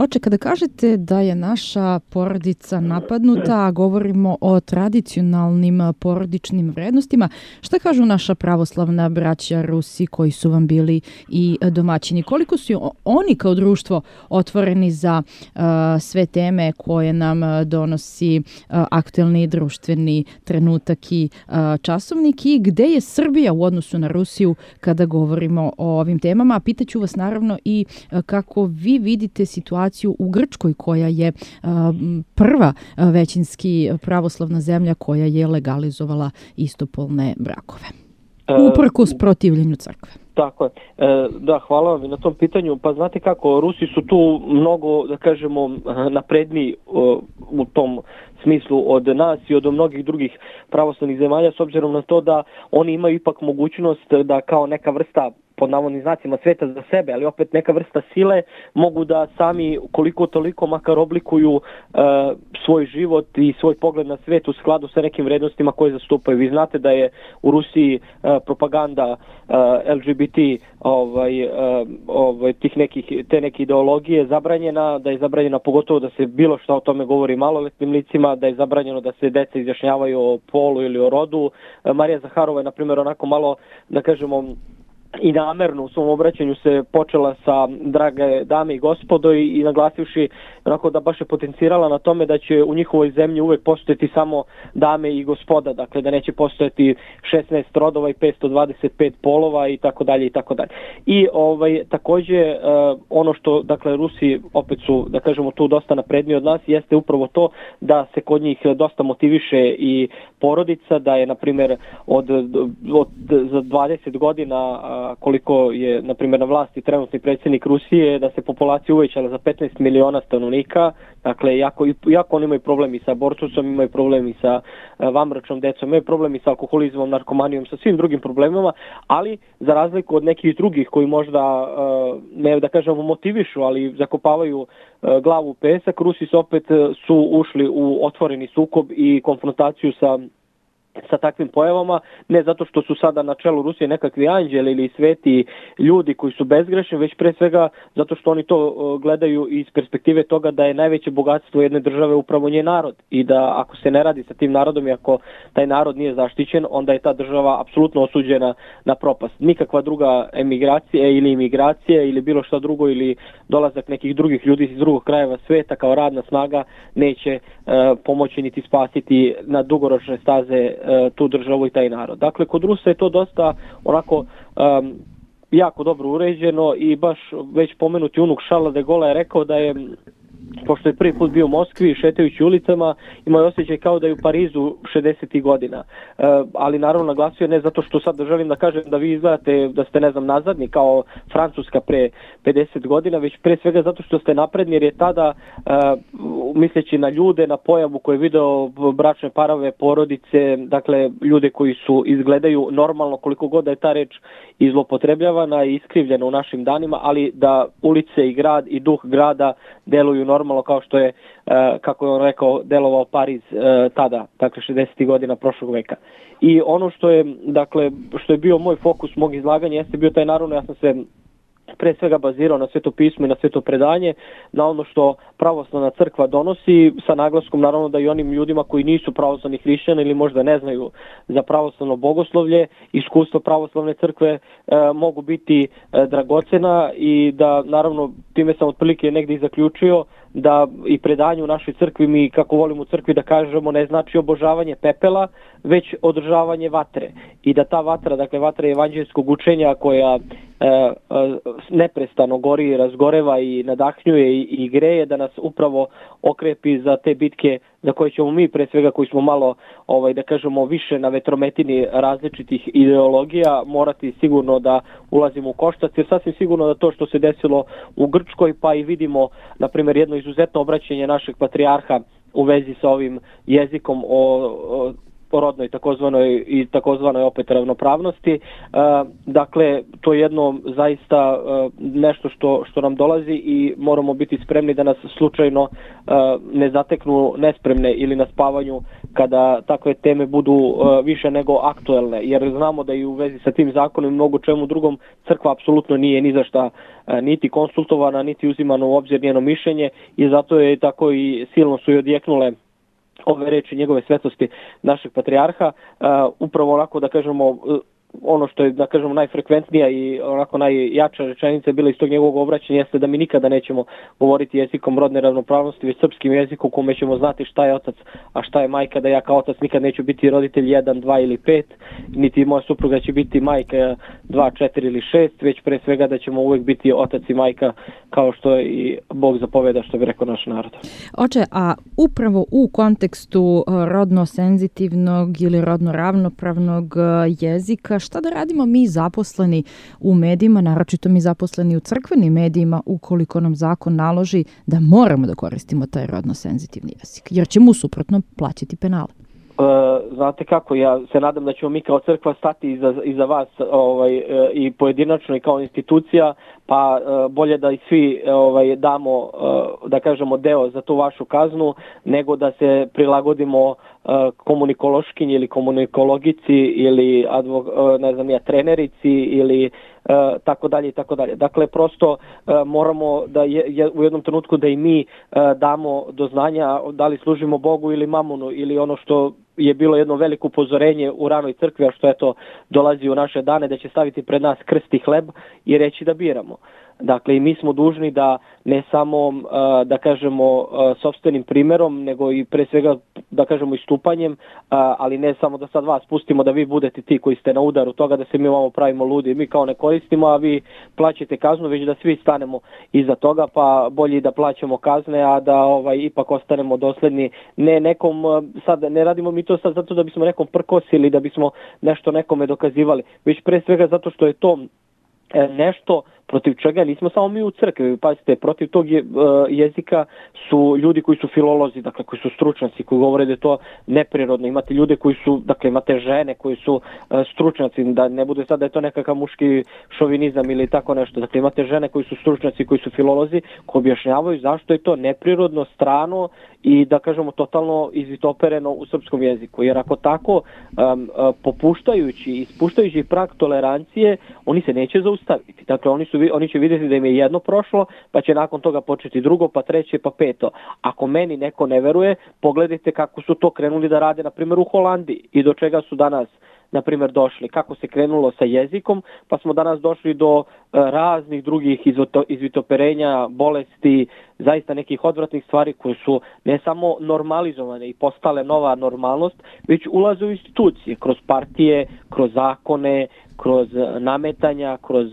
Oče, kada kažete da je naša porodica napadnuta, a govorimo o tradicionalnim porodičnim vrednostima, šta kažu naša pravoslavna braća Rusi koji su vam bili i domaćini? Koliko su oni kao društvo otvoreni za sve teme koje nam donosi aktuelni društveni trenutak i časovnik i gde je Srbija u odnosu na Rusiju kada govorimo o ovim temama? Pitaću vas naravno i kako vi vidite situaciju u Grčkoj koja je prva većinski pravoslavna zemlja koja je legalizovala istopolne brakove. Uprkos protivljenju crkve. Tako je. Da, hvala vam i na tom pitanju. Pa znate kako, Rusi su tu mnogo, da kažemo, napredniji u tom smislu od nas i od mnogih drugih pravoslavnih zemalja, s obzirom na to da oni imaju ipak mogućnost da kao neka vrsta, pod navodnim znacima, sveta za sebe, ali opet neka vrsta sile, mogu da sami koliko toliko makar oblikuju svoj život i svoj pogled na svet u skladu sa nekim vrednostima koje zastupaju. Vi znate da je u Rusiji propaganda LGBT te neke ideologije zabranjena, da je zabranjena pogotovo da se bilo šta o tome govori maloletnim licima, da je zabranjeno da se deca izjašnjavaju o polu ili o rodu. Marija Zaharova je, na primjer, onako malo, da kažemo, i namerno u svom obraćanju se počela sa drage dame i gospodo i naglasivši onako da baš je potencirala na tome da će u njihovoj zemlji uvek postojati samo dame i gospoda, dakle da neće postojati 16 rodova i 525 polova i tako dalje i tako dalje. I takođe ono što, dakle, Rusi opet su, da kažemo, tu dosta napredniji od nas, jeste upravo to da se kod njih dosta motiviše i porodica, da je, na primjer, za 20 godina koliko je, na primjer, na vlasti trenutni predsjednik Rusije, da se populacija uvećala za 15 miliona stanovnika. Dakle, jako oni imaju problemi sa abortusom, imaju problemi sa vanbračnom decom, imaju problemi sa alkoholizmom, narkomanijom, sa svim drugim problemima, ali za razliku od nekih drugih koji možda, ne da kažemo motivišu, ali zakopavaju glavu u pesak, Rusi su ušli u otvoreni sukob i konfrontaciju sa takvim pojavama, ne zato što su sada na čelu Rusije nekakvi anđeli ili sveti ljudi koji su bezgrešni, već pre svega zato što oni to gledaju iz perspektive toga da je najveće bogatstvo jedne države upravo njen narod i da ako se ne radi sa tim narodom i ako taj narod nije zaštićen, onda je ta država apsolutno osuđena na propast. Nikakva druga emigracija ili imigracija ili bilo šta drugo ili dolazak nekih drugih ljudi iz drugog krajeva sveta kao radna snaga neće pomoći niti spasiti na dugoročne staze tu državu i taj narod. Dakle, kod Rusa je to dosta onako jako dobro uređeno i baš već pomenuti unuk Šarla de Gola je rekao da je, pošto je prvi put bio u Moskvi, šetajući ulicama, imao je osjećaj kao da je u Parizu 60. godina. Ali naravno naglasio ne zato što sad želim da kažem da vi izgledate da ste, ne znam, nazadni kao Francuska pre 50 godina, već pre svega zato što ste napredni, jer je tada, misleći na ljude, na pojavu koju je video bračne parove, porodice, dakle ljude koji su izgledaju normalno, koliko god da je ta reč izlopotrebljavana i iskrivljena u našim danima, ali da ulice i grad i duh grada deluju normalno kao što je, kako je on rekao, delovao Pariz tada, dakle 60. godina prošlog veka. I ono što je, dakle, što je bio moj fokus mog izlaganja jeste bio taj, naravno, ja sam se pre svega bazirao na Sveto pismo i na Sveto predanje, na ono što pravoslavna crkva donosi, sa naglaskom naravno da i onim ljudima koji nisu pravoslavni hrišćani ili možda ne znaju za pravoslavno bogoslovlje, iskustva pravoslavne crkve mogu biti dragocena i da, naravno, time sam otprilike negdje i zaključio da i predanje u našoj crkvi, mi kako volimo u crkvi da kažemo, ne znači obožavanje pepela, već održavanje vatre. I da ta vatra, dakle vatra evanđeljskog učenja koja neprestano gori, razgoreva i nadahnjuje i greje, da nas upravo okrepi za te bitke za koje ćemo mi, pre svega koji smo malo, da kažemo, više na vetrometini različitih ideologija, morati sigurno da ulazimo u koštac, jer sasvim sigurno da to što se desilo u Grčkoj, pa i vidimo, na primjer, jedno izuzetno obraćanje našeg patrijarha u vezi sa ovim jezikom rodnoj i takozvanoj opet ravnopravnosti. Dakle, to je jedno zaista nešto što nam dolazi i moramo biti spremni da nas slučajno ne zateknu nespremne ili na spavanju kada takve teme budu više nego aktuelne, jer znamo da i u vezi sa tim zakonom i mnogo čemu drugom crkva apsolutno nije ni za šta niti konsultovana, niti uzimano u obzir njeno mišljenje i zato je tako i silno su i odjeknule ove reči njegove svetosti našeg patrijarha, upravo onako da kažemo ono što je da kažemo najfrekventnija i onako najjača rečenica je bila iz tog njegovog obraćanja jeste da mi nikada nećemo govoriti jezikom rodne ravnopravnosti, već srpskim jezikom u kome ćemo znati šta je otac, a šta je majka, da ja kao otac nikad neću biti roditelj 1, 2 ili 5, niti moja supruga će biti majka 2, 4 ili 6, već pre svega da ćemo uvek biti otac i majka kao što je i Bog zapoveda, što bi rekao naš narod. Oče, a upravo u kontekstu rodno senzitivnog ili rodno ravnopravnog jezika, šta da radimo mi zaposleni u medijima, naročito mi zaposleni u crkvenim medijima, ukoliko nam zakon naloži da moramo da koristimo taj rodno senzitivni jezik, jer ćemo suprotno plaćati penale? Znate kako, ja se nadam da ćemo mi kao crkva stati iza vas i pojedinačno i kao institucija, pa bolje da i svi damo, da kažemo, deo za tu vašu kaznu, nego da se prilagodimo komunikološkinji ili komunikologici ili trenerici ili tako dalje i tako dalje. Dakle, prosto moramo da u jednom trenutku da i mi damo do znanja da li služimo Bogu ili mamonu ili ono što je bilo jedno veliko upozorenje u ranoj crkvi, a što eto dolazi u naše dane, da će staviti pred nas krst i hleb i reći da biramo. Dakle, i mi smo dužni da ne samo, da kažemo, sopstvenim primjerom, nego i pre svega, da kažemo, istupanjem, ali ne samo da sad vas pustimo da vi budete ti koji ste na udaru toga da se mi ovamo pravimo ludi. Mi kao ne koristimo, a vi plaćate kaznu, već da svi stanemo iza toga, pa bolje da plaćamo kazne, a da ipak ostanemo dosledni. Ne nekom, sad ne radimo mi to sad zato da bismo nekom prkosili, da bismo nešto nekome dokazivali, već pre svega zato što je to nešto protiv čega nismo samo mi u crkvi. Pazite, protiv tog jezika su ljudi koji su filolozi, dakle koji su stručnjaci, koji govore da je to neprirodno. Imate ljude koji su, dakle imate žene koji su stručnjaci, da ne bude sad da je to nekakav muški šovinizam ili tako nešto. Dakle, imate žene koji su stručnjaci, koji su filolozi, koji objašnjavaju zašto je to neprirodno, strano i da kažemo totalno izvitopereno u srpskom jeziku. Jer ako tako popuštajući i ispuštajući prag tolerancije, oni se neće zaustaviti. Dakle, oni će vidjeti da im je jedno prošlo, pa će nakon toga početi drugo, pa treće, pa peto. Ako meni neko ne veruje, pogledajte kako su to krenuli da rade, na primjer, u Holandiji i do čega su danas, na primjer, došli. Kako se krenulo sa jezikom, pa smo danas došli do raznih drugih izvitoperenja, bolesti, zaista nekih odvratnih stvari koje su ne samo normalizovane i postale nova normalnost, već ulaze u institucije, kroz partije, kroz zakone, kroz nametanja, kroz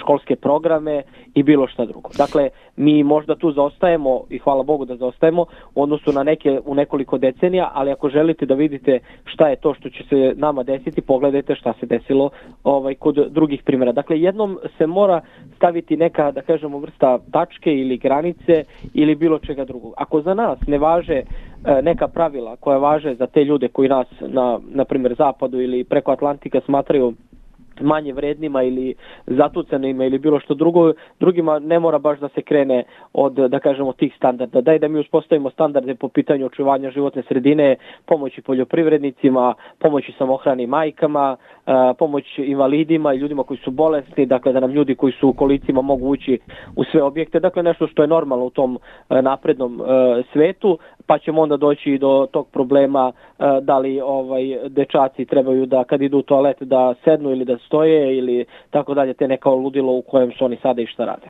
školske programe i bilo šta drugo. Dakle, mi možda tu zaostajemo i hvala Bogu da zaostajemo u odnosu na u nekoliko decenija, ali ako želite da vidite šta je to što će se nama desiti, pogledajte šta se desilo kod drugih primjera. Dakle, jednom se mora staviti neka, da kažemo, vrsta tačke ili granice ili bilo čega drugog. Ako za nas ne važe neka pravila koja važe za te ljude koji nas na primjer zapadu ili preko Atlantika smatraju manje vrednima ili zatucanima ili bilo što drugo, drugima ne mora baš da se krene od, da kažemo, tih standarda. Daj da mi uspostavimo standarde po pitanju očuvanja životne sredine, pomoći poljoprivrednicima, pomoći samohranim majkama, pomoć invalidima i ljudima koji su bolesni, dakle da nam ljudi koji su u kolicima mogu ući u sve objekte, dakle nešto što je normalno u tom naprednom svetu, pa ćemo onda doći do tog problema da li dečaci trebaju da kad idu u toalet da sednu ili da stoje ili tako dalje, te neka ludilo u kojem su oni sada i šta rade.